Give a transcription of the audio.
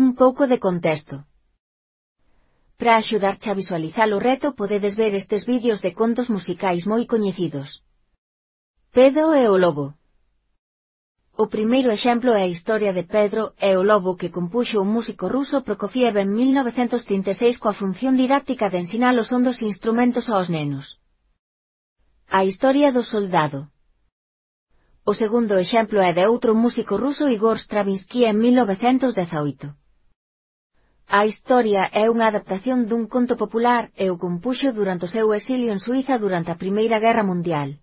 Un pouco de contexto. Para axudarche a visualizar o reto podedes ver estes vídeos de contos musicais moi coñecidos. Pedro e o lobo. O primeiro exemplo é a historia de Pedro e o lobo que compuxo o músico ruso Prokofiev en 1936 coa función didáctica de ensinar os son dos instrumentos aos nenos. A historia do soldado. O segundo exemplo é de outro músico ruso Igor Stravinsky en 1918. A historia é unha adaptación dun conto popular e o compuxo durante o seu exilio en Suíza durante a Primeira Guerra Mundial.